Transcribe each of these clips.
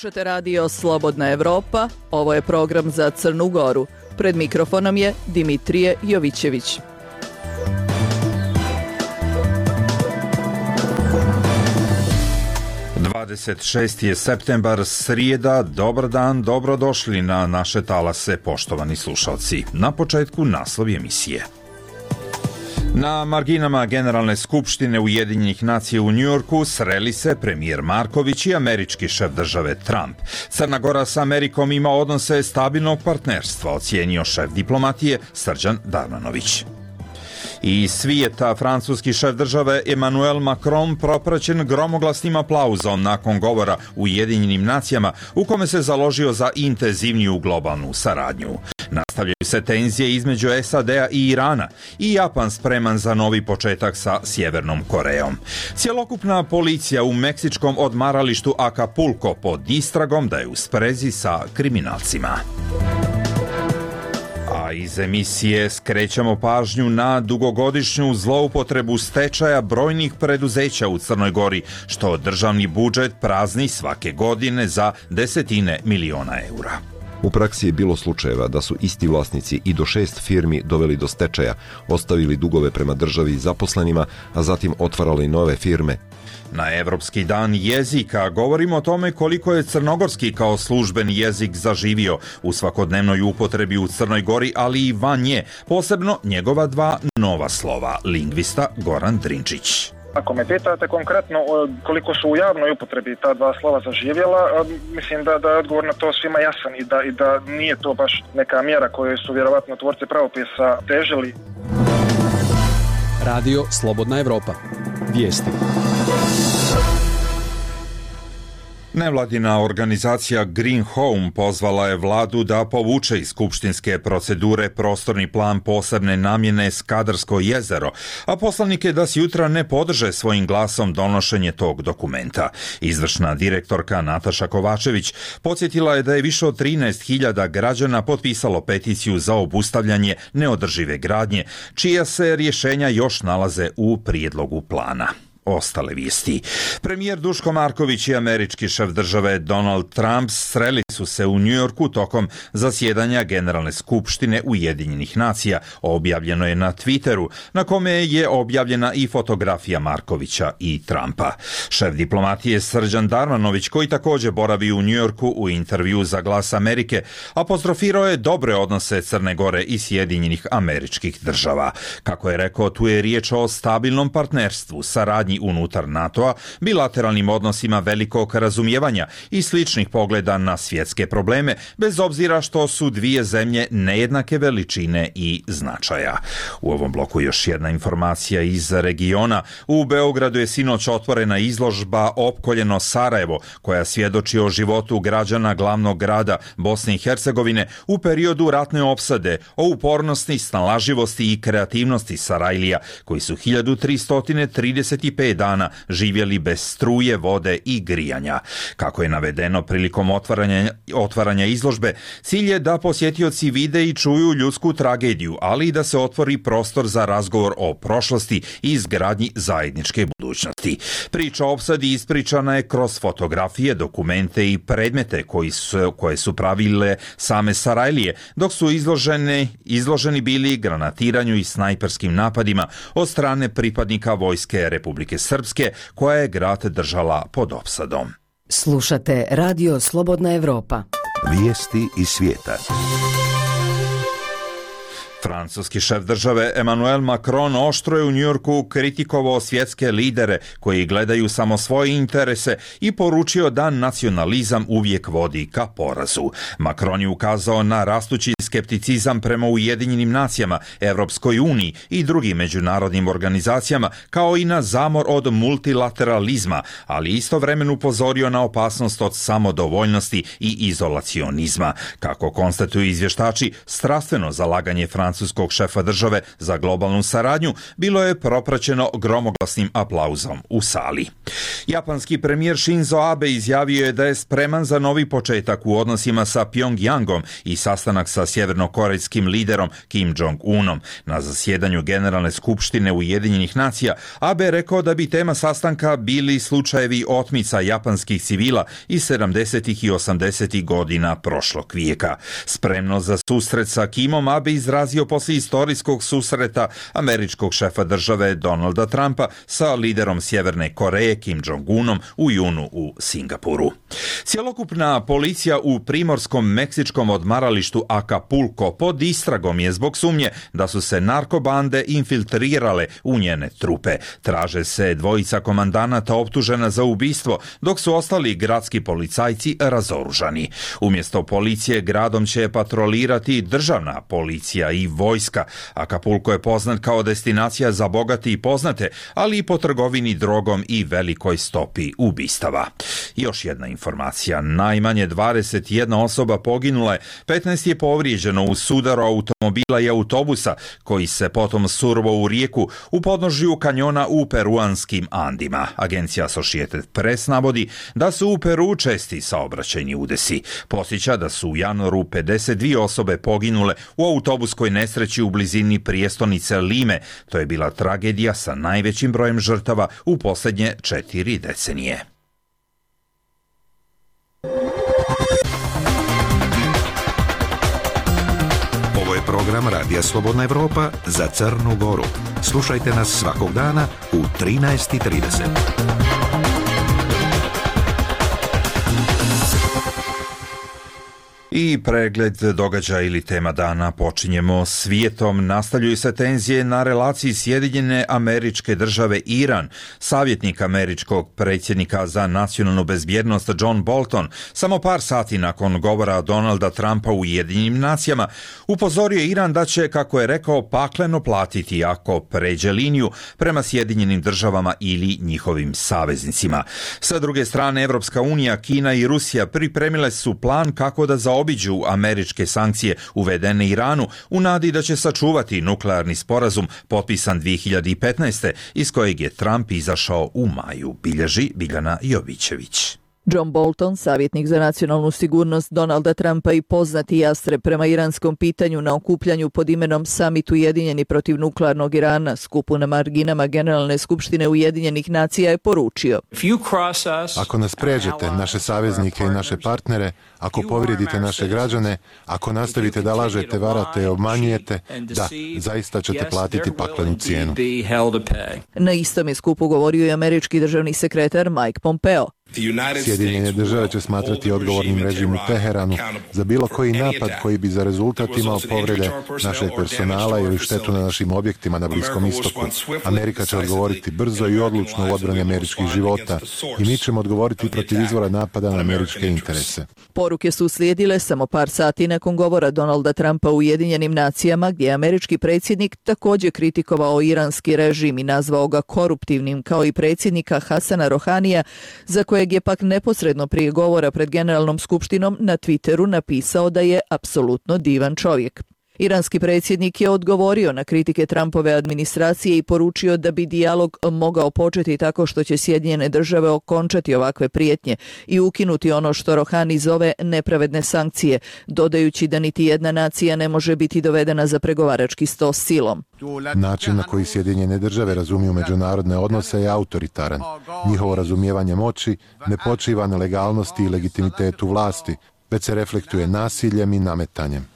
Slušate radio Slobodna Evropa, ovo je program za Crnu Goru. Pred mikrofonom je Dimitrije Jovićević. Je septembar, srijeda. Dobar dan, dobrodošli na naše talase, poštovani slušalci. Na početku naslovi emisije. Na marginama Generalne skupštine Ujedinjenih nacija u Njujorku sreli se premijer Marković i američki šef države Trump. Crna Gora sa Amerikom ima odnose stabilnog partnerstva, ocijenio šef diplomatije Srđan Darmanović. Iz svijeta francuski šef države Emmanuel Macron propraćen gromoglasnim aplauzom nakon govora Ujedinjenim nacijama u kome se založio za intenzivniju globalnu saradnju. Nastavljaju se tenzije između SAD-a i Irana i Japan spreman za novi početak sa Sjevernom Korejom. Cjelokupna policija u meksičkom odmaralištu Acapulco pod istragom da je u sprezi sa kriminalcima. A iz emisije skrećemo pažnju na dugogodišnju zloupotrebu stečaja brojnih preduzeća u Crnoj Gori, što državni budžet prazni svake godine za desetine miliona eura. U praksi je bilo slučajeva da su isti vlasnici i do 6 firmi doveli do stečaja, ostavili dugove prema državi i zaposlenima, a zatim otvarali nove firme. Na Evropski dan jezika govorimo o tome koliko je crnogorski kao službeni jezik zaživio u svakodnevnoj upotrebi u Crnoj Gori, ali i van nje, posebno njegova dva nova slova, lingvista Goran Drinčić. Ako me pitate konkretno koliko su u javnoj upotrebi ta dva slova zaživjela, mislim da je odgovor na to svima jasan i da nije to baš neka mjera koju su vjerovatno tvorci pravopisa težili. Radio Slobodna Evropa. Vijesti. Nevladina organizacija Green Home pozvala je vladu da povuče iz skupštinske procedure prostorni plan posebne namjene Skadarsko jezero, a poslanike da s jutra ne podrže svojim glasom donošenje tog dokumenta. Izvršna direktorka Nataša Kovačević podsjetila je da je više od 13.000 građana potpisalo peticiju za obustavljanje neodržive gradnje, čija se rješenja još nalaze u prijedlogu plana. Ostale vijesti. Premijer Duško Marković i američki šef države Donald Trump sreli su se u Njujorku tokom zasjedanja Generalne skupštine Ujedinjenih nacija. Objavljeno je na Twitteru, na kome je objavljena i fotografija Markovića i Trumpa. Šef diplomatije Srđan Darmanović, koji također boravi u Njujorku, u intervju za Glas Amerike, apostrofirao je dobre odnose Crne Gore i Sjedinjenih Američkih Država. Kako je rekao, tu je riječ o stabilnom partnerstvu, saradnji unutar NATO-a, bilateralnim odnosima velikog razumijevanja i sličnih pogleda na svjetske probleme, bez obzira što su dvije zemlje nejednake veličine i značaja. U ovom bloku još jedna informacija iz regiona. U Beogradu je sinoć otvorena izložba Opkoljeno Sarajevo, koja svjedoči o životu građana glavnog grada Bosne i Hercegovine u periodu ratne opsade, o upornosti, snalaživosti i kreativnosti Sarajlija, koji su 1335 dana živjeli bez struje, vode i grijanja. Kako je navedeno prilikom otvaranja izložbe, cilj je da posjetioci vide i čuju ljudsku tragediju, ali i da se otvori prostor za razgovor o prošlosti i izgradnji zajedničke budućnosti. Priča o opsadi ispričana je kroz fotografije, dokumente i predmete koje su pravile same Sarajlije, dok su izloženi bili granatiranju i snajperskim napadima od strane pripadnika vojske Republike Srpske, koja je grad držala pod opsadom. Slušate Radio Slobodna Evropa. Vijesti iz svijeta. Francuski šef države Emmanuel Macron oštro je u Njujorku kritikovao svjetske lidere koji gledaju samo svoje interese i poručio da nacionalizam uvijek vodi ka porazu. Macron je ukazao na rastući skepticizam prema Ujedinjenim nacijama, Evropskoj uniji i drugim međunarodnim organizacijama, kao i na zamor od multilateralizma, ali istovremeno upozorio na opasnost od samodovoljnosti i izolacionizma. Kako konstatuju izvještači, strastveno zalaganje francuskog šefa države za globalnu saradnju bilo je propraćeno gromoglasnim aplauzom u sali. Japanski premijer Shinzo Abe izjavio je da je spreman za novi početak u odnosima sa Pjongjangom i sastanak sa Sjevernom sjevernokorejskim liderom Kim Jong-unom. Na zasjedanju Generalne skupštine Ujedinjenih nacija Abe rekao da bi tema sastanka bili slučajevi otmica japanskih civila iz 70. i 80. godina prošlog vijeka. Spremno za susret sa Kimom Abe izrazio poslije istorijskog susreta američkog šefa države Donalda Trumpa sa liderom Sjeverne Koreje Kim Jong-unom u junu u Singapuru. Cjelokupna policija u primorskom meksičkom odmaralištu Acapulco pod istragom je zbog sumnje da su se narkobande infiltrirale u njene trupe. Traže se dvojica komandanata optužena za ubistvo, dok su ostali gradski policajci razoružani. Umjesto policije gradom će patrolirati državna policija i vojska. Acapulco je poznat kao destinacija za bogate i poznate, ali i po trgovini drogom i velikoj stopi ubistava. Još jedna informacija. Najmanje 21 osoba poginula je, 15 je povrijeđeno u sudaru automobila i autobusa, koji se potom surovo u rijeku u podnožju kanjona u peruanskim Andima. Agencija Associated Press navodi da su u Peru česti saobraćajni udesi. Podsjeća da su u januaru 52 osobe poginule u autobuskoj nesreći u blizini prijestolnice Lime. To je bila tragedija sa najvećim brojem žrtava u posljednje 4 decenije. Ovo je program Radija Slobodna Evropa za Crnu Goru. Slušajte nas svakog dana u 13:30. I pregled događaja ili tema dana počinjemo svijetom. Nastavljaju se tenzije na relaciji Sjedinjene Američke Države Iran. Savjetnik američkog predsjednika za nacionalnu bezbjednost John Bolton samo par sati nakon govora Donalda Trumpa u Ujedinjenim nacijama upozorio Iran da će, kako je rekao, pakleno platiti ako pređe liniju prema Sjedinjenim državama ili njihovim saveznicima. Sa druge strane, Evropska unija, Kina i Rusija pripremile su plan kako da zaobiđu američke sankcije uvedene Iranu u nadi da će sačuvati nuklearni sporazum potpisan 2015. iz kojeg je Trump izašao u maju, bilježi Biljana Jovićević. John Bolton, savjetnik za nacionalnu sigurnost Donalda Trumpa i poznati jastreb prema iranskom pitanju na okupljanju pod imenom Summit Ujedinjeni protiv nuklearnog Irana, skupu na marginama Generalne skupštine Ujedinjenih nacija, je poručio: Ako nas pređete, naše saveznike i naše partnere, ako povrijedite naše građane, ako nastavite da lažete, varate i obmanjujete, da, zaista ćete platiti paklenu cijenu. Na istom je skupu govorio i američki državni sekretar Mike Pompeo. Sjedinjene države će smatrati odgovornim režim u Teheranu za bilo koji napad koji bi za rezultat imao povrede našeg personala ili štetu na našim objektima na Bliskom istoku. Amerika će odgovoriti brzo i odlučno u odbrani američkih života i mi ćemo odgovoriti protiv izvora napada na američke interese. Poruke su uslijedile samo par sati nakon govora Donalda Trumpa u Ujedinjenim nacijama, gdje je američki predsjednik također kritikovao iranski režim i nazvao ga koruptivnim, kao i predsjednika Hasana Rohanija, za kojeg je pak neposredno prije govora pred Generalnom skupštinom na Twitteru napisao da je apsolutno divan čovjek. Iranski predsjednik je odgovorio na kritike Trumpove administracije i poručio da bi dijalog mogao početi tako što će Sjedinjene države okončati ovakve prijetnje i ukinuti ono što Rohani zove nepravedne sankcije, dodajući da niti jedna nacija ne može biti dovedena za pregovarački sto silom. Način na koji Sjedinjene države razumiju međunarodne odnose je autoritaran. Njihovo razumijevanje moći ne počiva na legalnosti i legitimitetu vlasti, već se reflektuje nasiljem i nametanjem.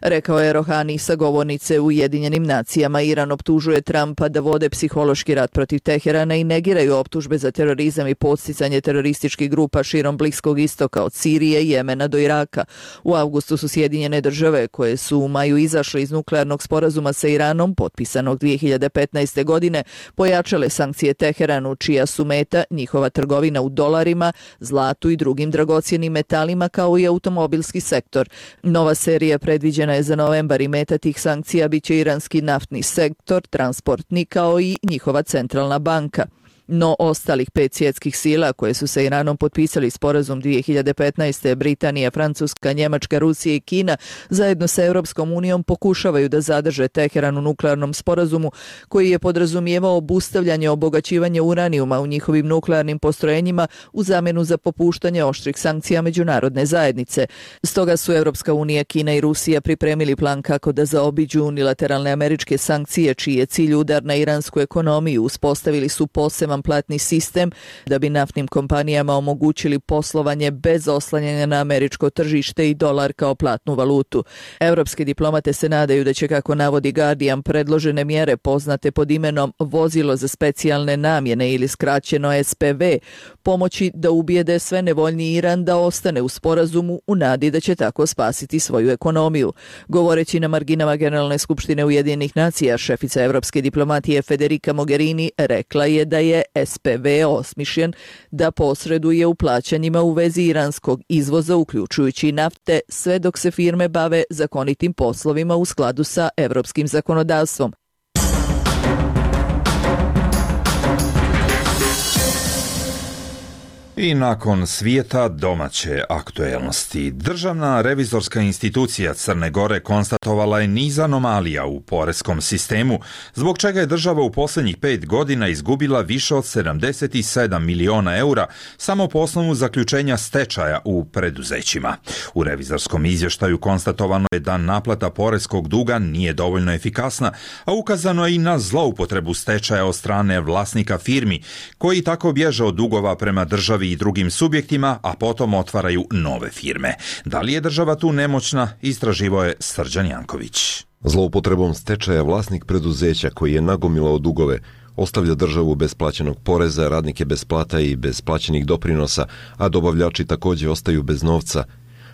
Rekao je Rohani sa govornice u Ujedinjenim nacijama. Iran optužuje Trumpa da vode psihološki rat protiv Teherana i negiraju optužbe za terorizam i podsticanje terorističkih grupa širom Bliskog istoka od Sirije i Jemena do Iraka. U avgustu su Sjedinjene države, koje su u maju izašle iz nuklearnog sporazuma sa Iranom, potpisanog 2015. godine, pojačale sankcije Teheranu, čija su meta njihova trgovina u dolarima, zlatu i drugim dragocjenim metalima, kao i automobilski sektor. Nova serija predviđena je za novembar i meta tih sankcija biće iranski naftni sektor, transportni, kao i njihova centralna banka. No ostalih 5 svjetskih sila koje su sa Iranom potpisali sporazum 2015. Britanija, Francuska, Njemačka, Rusija i Kina zajedno sa Europskom unijom pokušavaju da zadrže Teheran u nuklearnom sporazumu koji je podrazumijevao obustavljanje obogaćivanja uranijuma u njihovim nuklearnim postrojenjima u zamjenu za popuštanje oštrih sankcija međunarodne zajednice. Stoga su Europska unija, Kina i Rusija pripremili plan kako da zaobiđu unilateralne američke sankcije čiji je cilj udar na iransku ekonomiju. Uspostavili su poseban platni sistem da bi naftnim kompanijama omogućili poslovanje bez oslanjanja na američko tržište i dolar kao platnu valutu. Europske diplomate se nadaju da će, kako navodi Guardian, predložene mjere poznate pod imenom vozilo za specijalne namjene ili skraćeno SPV pomoći da ubijede sve nevoljni Iran da ostane u sporazumu u nadi da će tako spasiti svoju ekonomiju. Govoreći na marginama Generalne skupštine Ujedinjenih nacija, šefica europske diplomatije Federica Mogherini rekla je da je SPV osmišljen da posreduje u plaćanjima u vezi iranskog izvoza, uključujući nafte, sve dok se firme bave zakonitim poslovima u skladu sa europskim zakonodavstvom. I nakon svijeta domaće aktuelnosti, Državna revizorska institucija Crne Gore konstatovala je niz anomalija u poreskom sistemu, zbog čega je država u posljednjih 5 godina izgubila više od 77 miliona eura samo po osnovu zaključenja stečaja u preduzećima. U revizorskom izvještaju konstatovano je da naplata poreskog duga nije dovoljno efikasna, a ukazano je i na zloupotrebu stečaja od strane vlasnika firmi, koji tako bježe od dugova prema državi i drugim subjektima, a potom otvaraju nove firme. Da li je država tu nemoćna, istraživao je Srđan Janković. Zloupotrebom stečaja vlasnik preduzeća koji je nagomilao dugove ostavlja državu bez plaćenog poreza, radnike bez plata i bez plaćenih doprinosa, a dobavljači također ostaju bez novca.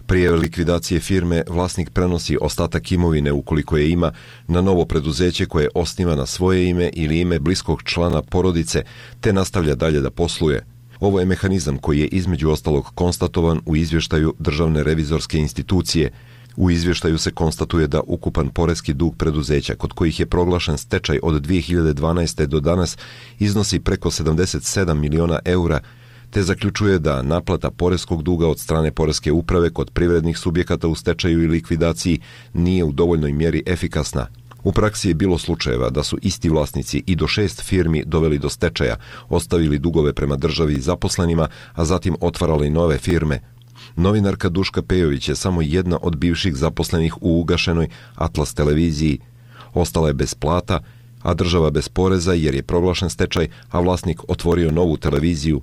Prije likvidacije firme vlasnik prenosi ostatak imovine, ukoliko je ima, na novo preduzeće koje osniva na svoje ime ili ime bliskog člana porodice, te nastavlja dalje da posluje. Ovo je mehanizam koji je između ostalog konstatovan u izvještaju Državne revizorske institucije. U izvještaju se konstatuje da ukupan poreski dug preduzeća kod kojih je proglašen stečaj od 2012. do danas iznosi preko 77 miliona eura, te zaključuje da naplata poreskog duga od strane poreske uprave kod privrednih subjekata u stečaju i likvidaciji nije u dovoljnoj mjeri efikasna. U praksi je bilo slučajeva da su isti vlasnici i do 6 firmi doveli do stečaja, ostavili dugove prema državi i zaposlenima, a zatim otvarali nove firme. Novinarka Duška Pejović je samo jedna od bivših zaposlenih u ugašenoj Atlas televiziji. Ostala je bez plata, a država bez poreza jer je proglašen stečaj, a vlasnik otvorio novu televiziju.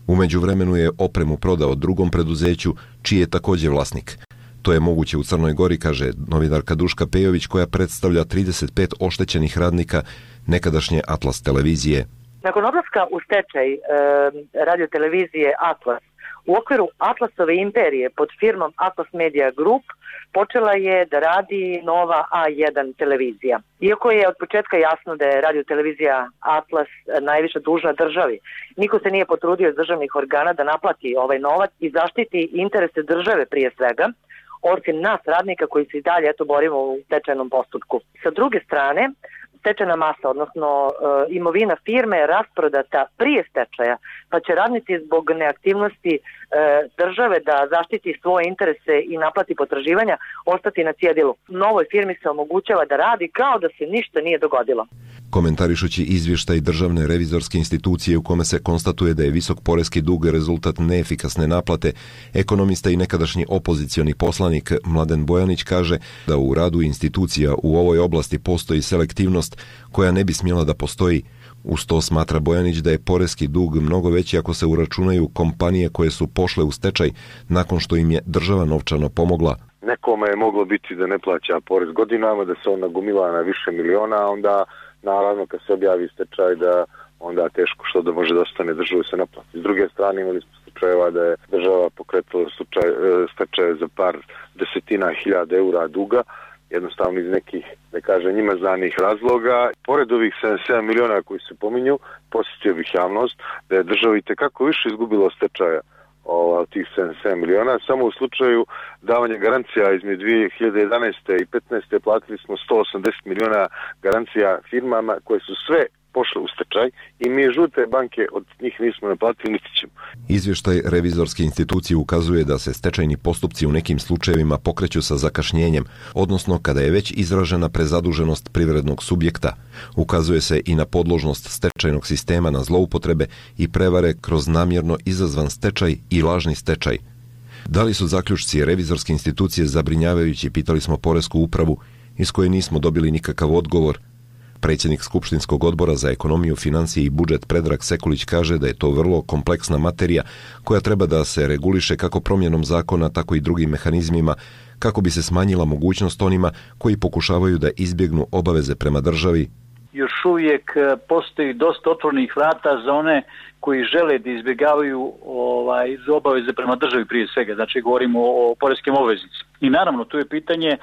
U međuvremenu je opremu prodao drugom preduzeću, čiji je također vlasnik. To je moguće u Crnoj Gori, kaže novinarka Duška Pejović, koja predstavlja 35 oštećenih radnika nekadašnje Atlas televizije. Nakon odlaska u stečaj radiotelevizije Atlas, u okviru Atlasove imperije pod firmom Atlas Media Group počela je da radi nova A1 televizija. Iako je od početka jasno da je radiotelevizija Atlas najviše dužna državi, niko se nije potrudio iz državnih organa da naplati ovaj novac i zaštiti interese države prije svega, osim nas radnika koji se i dalje borimo u stečajnom postupku. Sa druge strane, stečajna masa, odnosno imovina firme je rasprodata prije stečaja, pa će radnici zbog neaktivnosti države da zaštiti svoje interese i naplati potraživanja ostati na cjedilu. Novoj firmi se omogućava da radi kao da se ništa nije dogodilo. Komentarišući izvještaj Državne revizorske institucije u kome se konstatuje da je visok poreski dug rezultat neefikasne naplate, ekonomista i nekadašnji opozicioni poslanik Mladen Bojanić kaže da u radu institucija u ovoj oblasti postoji selektivnost koja ne bi smjela da postoji. Uz to smatra Bojanić da je poreski dug mnogo veći ako se uračunaju kompanije koje su pošle u stečaj nakon što im je država novčano pomogla. Nekome je moglo biti da ne plaća porez godinama, da se on nagomila na više miliona, a onda naravno kad se objavi stečaj da onda teško što da može da ostane državu se naplati. S druge strane imali smo slučajeva da je država pokretala stečaje za par desetina hiljada eura duga, jednostavno iz nekih, ne kažem, njima znanih razloga. Pored ovih 77 miliona koji se pominju, posjetio bih javnost da je država itekako više izgubila stečaja od tih 77 miliona. Samo u slučaju davanja garancija između 2011. i 2015. platili smo 180 miliona garancija firmama koje su sve pošle u stečaj i mi žute banke od njih nismo naplatili, niti ćemo. Izvještaj revizorske institucije ukazuje da se stečajni postupci u nekim slučajevima pokreću sa zakašnjenjem, odnosno kada je već izražena prezaduženost privrednog subjekta. Ukazuje se i na podložnost stečajnog sistema na zloupotrebe i prevare kroz namjerno izazvan stečaj i lažni stečaj. Da li su zaključci revizorske institucije zabrinjavajući, pitali smo Poresku upravu, iz koje nismo dobili nikakav odgovor. Predsjednik Skupštinskog odbora za ekonomiju, financije i budžet Predrag Sekulić kaže da je to vrlo kompleksna materija koja treba da se reguliše kako promjenom zakona, tako i drugim mehanizmima, kako bi se smanjila mogućnost onima koji pokušavaju da izbjegnu obaveze prema državi. Još uvijek postoji dosta otvorenih vrata za one koji žele da izbjegavaju obaveze prema državi prije svega, znači govorimo o poreskim obveznicima. I naravno, tu je pitanje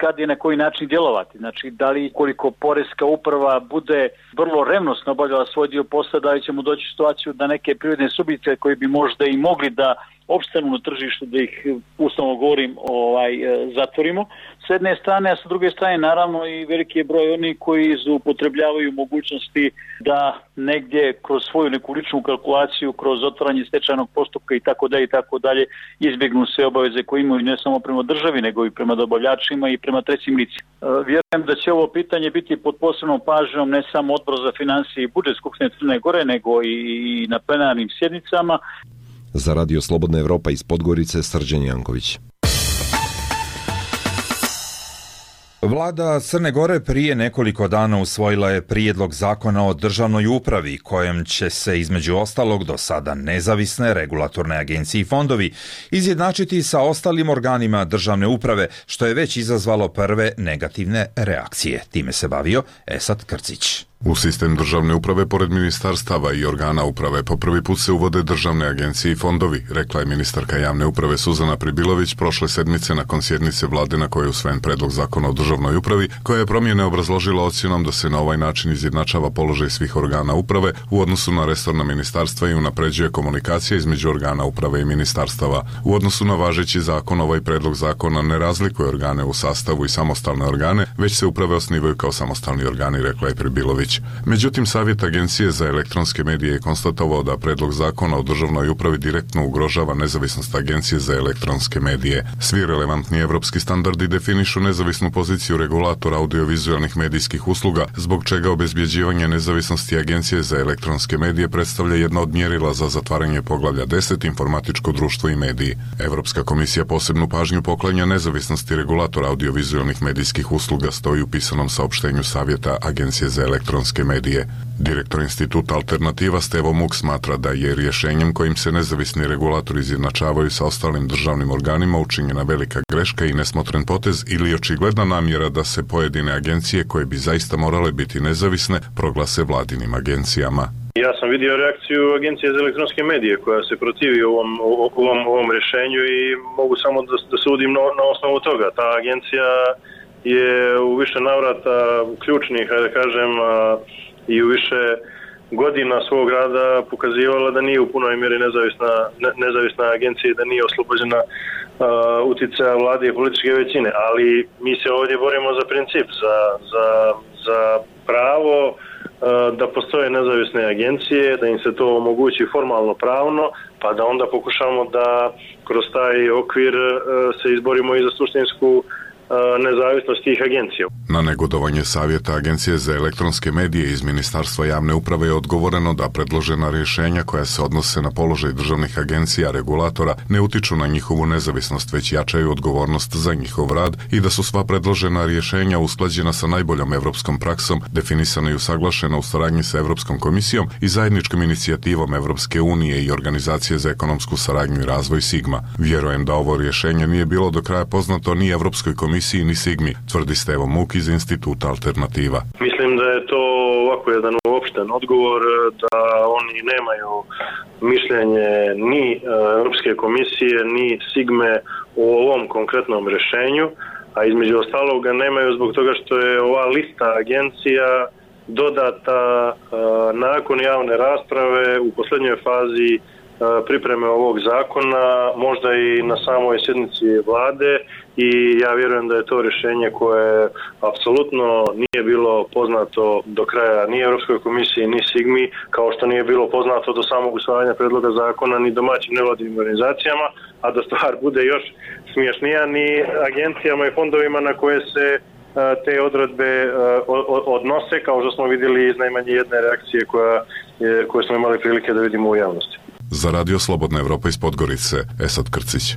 kad i na koji način djelovati, znači da li koliko Poreska uprava bude vrlo revnosno obavljala svoj dio posla, da li ćemo doći u situaciju da neke privredne subjekte koji bi možda i mogli da opstanu na tržištu, da ih uslovno govorim zatvorimo s jedne strane, a sa druge strane naravno i veliki je broj onih koji zloupotrebljavaju mogućnosti da negdje kroz svoju neku ličnu kalkulaciju, kroz otvaranje stečajnog postupka i tako dalje izbjegnu sve obaveze koje imaju ne samo prema državi nego i prema dobavljačima i prema trećim licima. Vjerujem da će ovo pitanje biti pod posebnom pažnjom ne samo Odbor za financije i budžet Skupštine Crne Gore nego i na plenarnim sjednicama. Za Radio Slobodna Evropa iz Podgorice, Srđan Janković. Vlada Crne Gore prije nekoliko dana usvojila je prijedlog zakona o državnoj upravi, kojem će se između ostalog do sada nezavisne regulatorne agencije i fondovi izjednačiti sa ostalim organima državne uprave, što je već izazvalo prve negativne reakcije. Time se bavio Esad Krcić. U sistem državne uprave, pored ministarstava i organa uprave, po prvi put se uvode državne agencije i fondovi, rekla je ministarka javne uprave Suzana Pribilović prošle sedmice nakon sjednice vlade na kojoj je usvojen predlog zakona o državnoj upravi, koja je promjene obrazložila ocjenom da se na ovaj način izjednačava položaj svih organa uprave u odnosu na resorna ministarstva i unapređuje komunikacija između organa uprave i ministarstava. U odnosu na važeći zakon, ovaj predlog zakona ne razlikuje organe u sastavu i samostalne organe, već se uprave osnivaju kao samostalni organi, rekla je Pribilović. Međutim, Savjet Agencije za elektronske medije je konstatovao da predlog zakona o državnoj upravi direktno ugrožava nezavisnost Agencije za elektronske medije. Svi relevantni evropski standardi definišu nezavisnu poziciju regulatora audiovizualnih medijskih usluga, zbog čega obezbjeđivanje nezavisnosti Agencije za elektronske medije predstavlja jedno od mjerila za zatvaranje poglavlja 10 informatičko društvo i mediji. Evropska komisija posebnu pažnju poklanja nezavisnosti regulatora audiovizualnih medijskih usluga, stoji u pisanom saopštenju Savjeta Agencije za elektronske medije. Direktor instituta Alternativa Stevo Muk smatra da je rješenjem kojim se nezavisni regulatori izjednačavaju sa ostalim državnim organima učinjena velika greška i nesmotren potez ili očigledna namjera da se pojedine agencije koje bi zaista morale biti nezavisne proglase vladinim agencijama. Ja sam vidio reakciju Agencije za elektronske medije koja se protivi ovom rješenju i mogu samo da sudim na osnovu toga. Ta agencija je u više navrata ključnih, da kažem, i u više godina svog rada pokazivala da nije u punoj mjeri nezavisna agencija i da nije oslobođena utjecaja vlade i političke većine. Ali mi se ovdje borimo za princip, za pravo da postoje nezavisne agencije, da im se to omogući formalno pravno, pa da onda pokušamo da kroz taj okvir se izborimo i za suštinsku nezavisnost tih agencija. Na negodovanje Savjeta Agencije za elektronske medije iz Ministarstva javne uprave je odgovoreno da predložena rješenja koja se odnose na položaj državnih agencija regulatora ne utiču na njihovu nezavisnost, već jačaju odgovornost za njihov rad i da su sva predložena rješenja usklađena sa najboljom evropskom praksom, definisana i usaglašena u saradnji sa Evropskom komisijom i zajedničkom inicijativom Evropske unije i Organizacije za ekonomsku saradnju i razvoj Sigma. Vjerujem da ovo rješenje nije bilo do kraja poznato ni Evropskoj komisiji ni Sigmi, tvrdi Stevo Muk iz instituta Alternativa. Mislim da je to ovako jedan uopšten odgovor, da oni nemaju mišljenje ni Europske komisije, ni Sigme o ovom konkretnom rješenju, a između ostalog ga nemaju zbog toga što je ova lista agencija dodata nakon javne rasprave u posljednjoj fazi pripreme ovog zakona, možda i na samoj sjednici vlade, i ja vjerujem da je to rješenje koje apsolutno nije bilo poznato do kraja ni Europskoj komisiji ni Sigmi, kao što nije bilo poznato do samog usvajanja predloga zakona ni domaćim nevladinim organizacijama, a da stvar bude još smješnija, ni agencijama i fondovima na koje se te odredbe odnose, kao što smo vidjeli iz najmanje jedne reakcije koje smo imali prilike da vidimo u javnosti. Za Radio Slobodna Evropa iz Podgorice, Esad Krcić.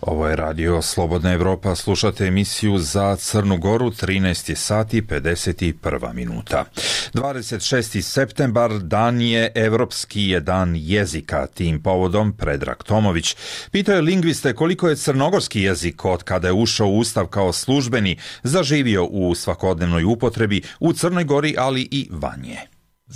Ovo je Radio Slobodna Evropa, slušate emisiju za Crnu Goru, 13 sati 51 minuta. 26. septembar dan je Evropski je dan jezika. Tim povodom Predrag Tomović pitao je lingviste koliko je crnogorski jezik od kada je ušao u Ustav kao službeni zaživio u svakodnevnoj upotrebi u Crnoj Gori, ali i van nje.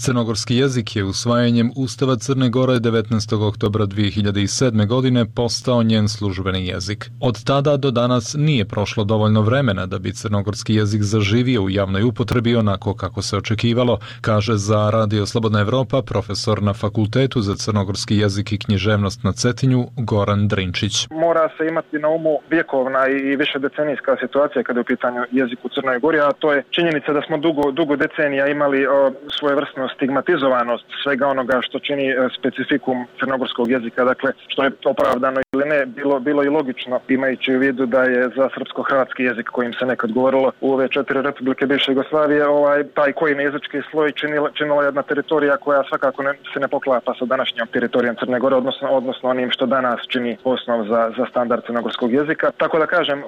Crnogorski jezik je usvajanjem Ustava Crne Gore 19. oktobra 2007. godine postao njen službeni jezik. Od tada do danas nije prošlo dovoljno vremena da bi crnogorski jezik zaživio u javnoj upotrebi onako kako se očekivalo, kaže za Radio Slobodna Evropa profesor na Fakultetu za crnogorski jezik i književnost na Cetinju Goran Drinčić. Mora se imati na umu vjekovna i više decenijska situacija kada je u pitanju jezik u Crnoj Gori, a to je činjenica da smo dugo decenija imali svojevrsnu stigmatizovanost svega onoga što čini specifikum crnogorskog jezika, dakle što je opravdano ili ne, bilo i logično, imajući u vidu da je za srpsko-hrvatski jezik kojim se nekad govorilo u ove 4 republike bivše Jugoslavije, taj koji jezički sloj činila jedna teritorija koja svakako se ne poklapa sa današnjom teritorijom Crne Gore, odnosno onim što danas čini osnov za standard crnogorskog jezika. Tako da kažem,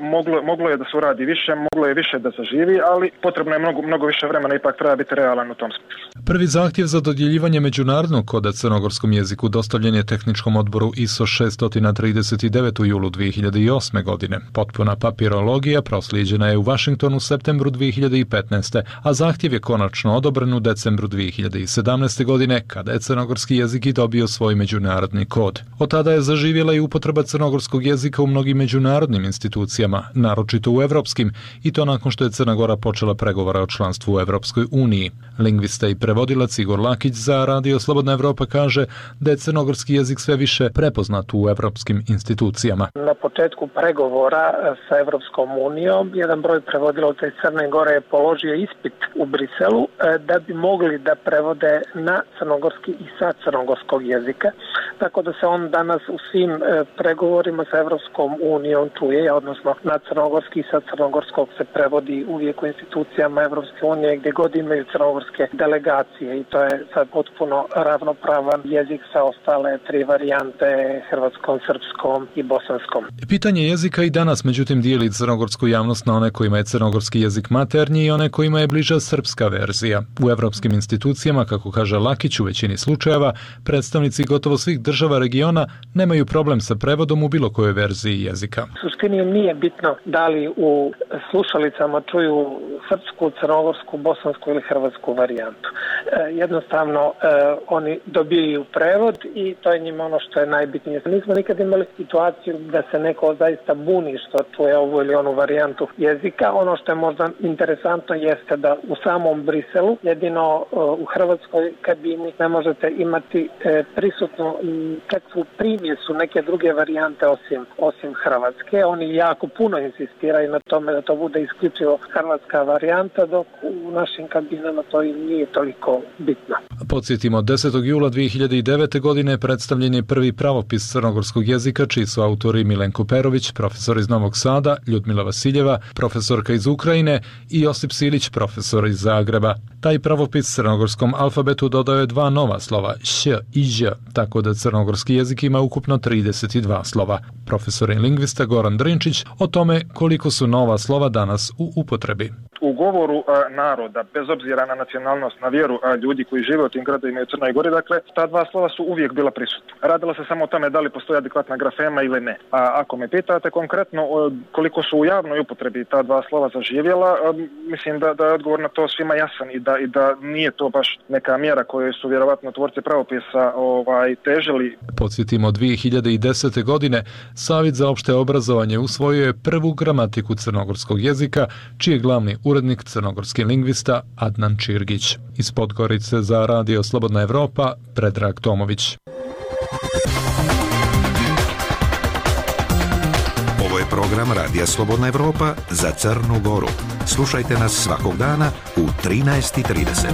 moglo je da se uradi više, moglo je više da zaživi, ali potrebno je mnogo više vremena, ipak treba biti realan u tom smislu. Prvi zahtjev za dodjeljivanje međunarodnog koda crnogorskom jeziku dostavljen je tehničkom odboru ISO 639 u julu 2008. godine. Potpuna papirologija proslijeđena je u Vašingtonu u septembru 2015. a zahtjev je konačno odobren u decembru 2017. godine kada je crnogorski jezik i dobio svoj međunarodni kod. Od tada je zaživjela i upotreba crnogorskog jezika u mnogim međunarodnim institucijama, naročito u evropskim, i to nakon što je Crna Gora počela pregovore o članstvu u Evropskoj uniji. Lingvista i prevodilac Igor Lakić za Radio Slobodna Evropa kaže da je crnogorski jezik sve više prepoznat u evropskim institucijama. Na početku pregovora sa Evropskom unijom jedan broj prevodilaca iz Crne Gore je položio ispit u Briselu da bi mogli da prevode na crnogorski i sa crnogorskog jezika, tako da se on danas u svim pregovorima sa Evropskom unijom čuje, odnosno na crnogorski i sa crnogorskog se prevodi uvijek u institucijama Evropske unije gdje god imaju crnogorske delegacije, i to je sad potpuno ravnopravan jezik sa ostale 3 varijante, hrvatskom, srpskom i bosanskom. Pitanje jezika i danas međutim dijeli crnogorsku javnost na one kojima je crnogorski jezik maternji i one kojima je bliža srpska verzija. U evropskim institucijama, kako kaže Lakić, u većini slučajeva predstavnici gotovo svih država regiona nemaju problem sa prevodom u bilo kojoj verziji jezika. U suštini nije bitno da li u slušalicama čuju srpsku, crnogorsku, bosansku ili hrvatsku varijantu. Jednostavno oni dobijaju prevod i to je njima ono što je najbitnije. Nismo nikad imali situaciju da se neko zaista buni što čuje ovu ili onu varijantu jezika. Ono što je možda interesantno jeste da u samom Briselu, jedino u hrvatskoj kabini, ne možete imati prisutnu kakvu primjesu neke druge varijante osim hrvatske. Oni jako puno insistiraju na tome da to bude isključivo hrvatska varijanta, dok u našim kabinama to i nije toliko bitno. Podsjetimo, 10. jula 2009. godine predstavljen je prvi pravopis crnogorskog jezika, čiji su autori Milenko Perović, profesor iz Novog Sada, Ljudmila Vasiljeva, profesorka iz Ukrajine, i Josip Silić, profesor iz Zagreba. Taj pravopis crnogorskom alfabetu dodao je 2 nova slova, š i ž, tako da crnogorski jezik ima ukupno 32 slova. Profesor i lingvista Goran Drinčić o tome koliko su nova slova danas u upotrebi. U govoru naroda, bez obzira na nacionalnost, na vjeru ljudi koji žive u tim gradovima i u Crnoj Gori, dakle, ta 2 slova su uvijek bila prisutna. Radilo se samo o tome da li postoji adekvatna grafema ili ne. A ako me pitate konkretno koliko su u javnoj upotrebi ta 2 slova zaživjela, mislim da je odgovor na to svima jasan i da nije to baš neka mjera koju su vjerovatno tvorci pravopisa težili. Podsjetimo, 2010. godine Savjet za opšte obrazovanje usvojio je prvu gramatiku crnogorskog jezika, čiji je glavni urednik crnogorski lingvista Adnan Čirgić. Iz Podgorice za Radio Slobodna Evropa, Predrag Tomović. Ovo je program Radija Slobodna Evropa za Crnu Goru. Slušajte nas svakog dana u 13:30.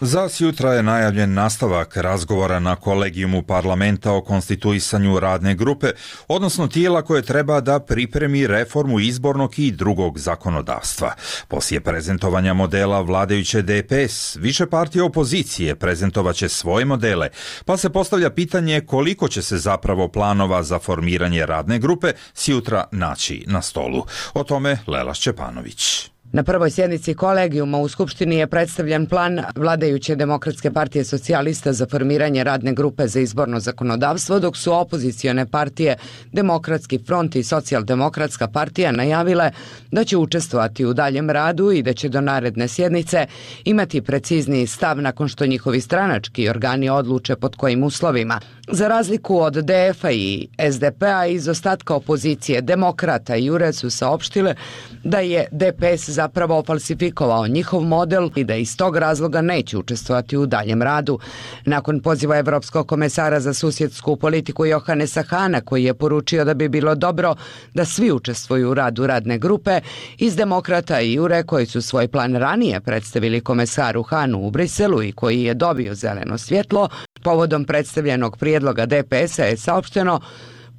Za sjutra je najavljen nastavak razgovora na kolegijumu parlamenta o konstituisanju radne grupe, odnosno tijela koje treba da pripremi reformu izbornog i drugog zakonodavstva. Poslije prezentovanja modela vladajuće DPS, više partije opozicije prezentovaće svoje modele, pa se postavlja pitanje koliko će se zapravo planova za formiranje radne grupe sjutra naći na stolu. O tome Lela Šćepanović. Na prvoj sjednici kolegijuma u Skupštini je predstavljen plan vladajuće Demokratske partije socijalista za formiranje radne grupe za izborno zakonodavstvo, dok su opozicione partije Demokratski front i Socijaldemokratska partija najavile da će učestvovati u daljem radu i da će do naredne sjednice imati precizniji stav nakon što njihovi stranački organi odluče pod kojim uslovima. Za razliku od DF-a i SDP-a, iz ostatka opozicije Demokrata i URE su saopštile da je DPS zapravo falsifikovao njihov model i da iz tog razloga neće učestvovati u daljem radu. Nakon poziva Evropskog komesara za susjedsku politiku Johanesa Hana, koji je poručio da bi bilo dobro da svi učestvuju u radu radne grupe, iz Demokrata i URE, koji su svoj plan ranije predstavili komesaru Hanu u Briselu i koji je dobio zeleno svjetlo, povodom predstavljenog prijedloga DPS-a je saopšteno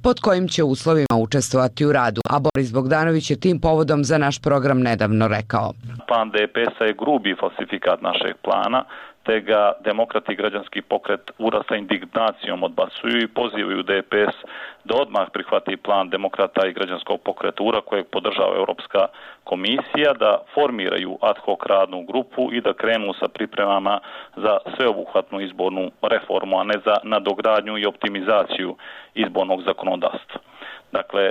pod kojim će uslovima učestvovati u radu, a Boris Bogdanović je tim povodom za naš program nedavno rekao. Plan DPS-a je grubi falsifikat našeg plana, te ga Demokrati i građanski pokret URA sa indignacijom odbacuju i pozivaju DPS da odmah prihvati plan Demokrata i građanskog pokreta URA kojeg podržava Europska komisija, da formiraju ad hoc radnu grupu i da krenu sa pripremama za sveobuhvatnu izbornu reformu, a ne za nadogradnju i optimizaciju izbornog zakonodavstva. Dakle,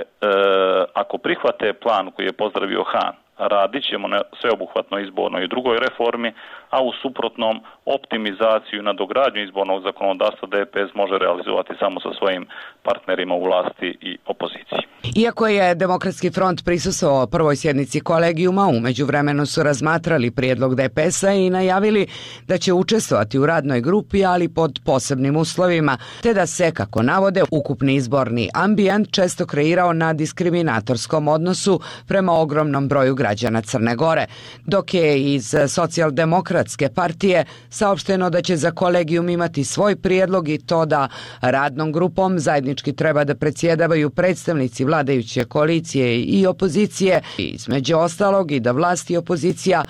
ako prihvate plan koji je pozdravio Han, radit ćemo na sveobuhvatnoj izbornoj i drugoj reformi, a u suprotnom optimizaciju i nadogradnju izbornog zakonodavstva DPS može realizovati samo sa svojim partnerima u vlasti i opoziciji. Iako je Demokratski front prisustvovao prvoj sjednici kolegijuma, u međuvremenu su razmatrali prijedlog DPS-a i najavili da će učestvovati u radnoj grupi, ali pod posebnim uslovima, te da se, kako navode, ukupni izborni ambijent često kreirao na diskriminatorskom odnosu prema ogromnom broju građana Crne Gore, dok je iz Socijaldemokratske partije saopšteno da će za kolegijum imati svoj prijedlog i to da radnom grupom zajednički treba da predsjedavaju predstavnici vladajuće koalicije i opozicije, između ostalog i da vlast i opozicija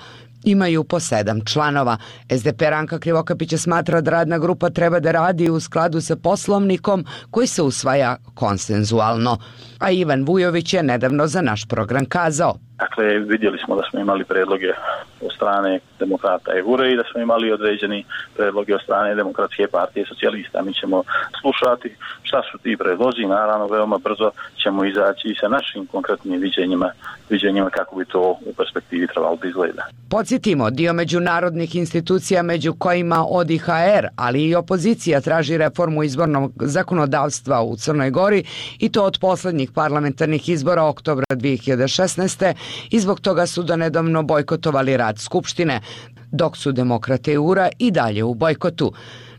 imaju po 7 članova. SDP Ranka Krivokapića smatra da radna grupa treba da radi u skladu sa poslovnikom koji se usvaja konsenzualno. A Ivan Vujović je nedavno za naš program kazao: Dakle, vidjeli smo da smo imali predloge od strane Demokrata i URE i da smo imali određeni predloge od strane Demokratske partije socijalista. Mi ćemo slušati šta su ti predlozi i naravno veoma brzo ćemo izaći i sa našim konkretnim viđenjima kako bi to u perspektivi trebalo da izgleda. Podsjetimo, dio međunarodnih institucija među kojima ODIHR, ali i opozicija traži reformu izbornog zakonodavstva u Crnoj Gori i to od posljednjih parlamentarnih izbora oktobra 2016. i zbog toga su donedavno bojkotovali rad Skupštine, dok su Demokrate i URA i dalje u bojkotu.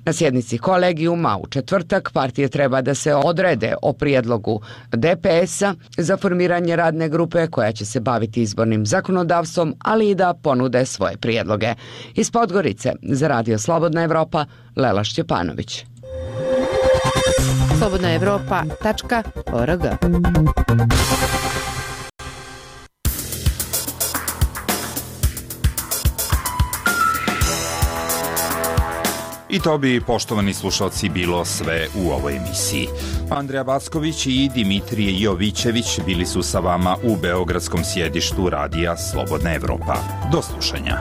Na sjednici kolegijuma u četvrtak partije treba da se odrede o prijedlogu DPS-a za formiranje radne grupe koja će se baviti izbornim zakonodavstvom, ali i da ponude svoje prijedloge. Iz Podgorice za Radio Slobodna Evropa, Lela Šćepanović. slobodnaevropa.org. I to bi, poštovani slušalci, bilo sve u ovoj emisiji. Andrija Backović i Dimitrije Jovićević bili su sa vama u beogradskom sjedištu Radija Slobodna Evropa. Do slušanja.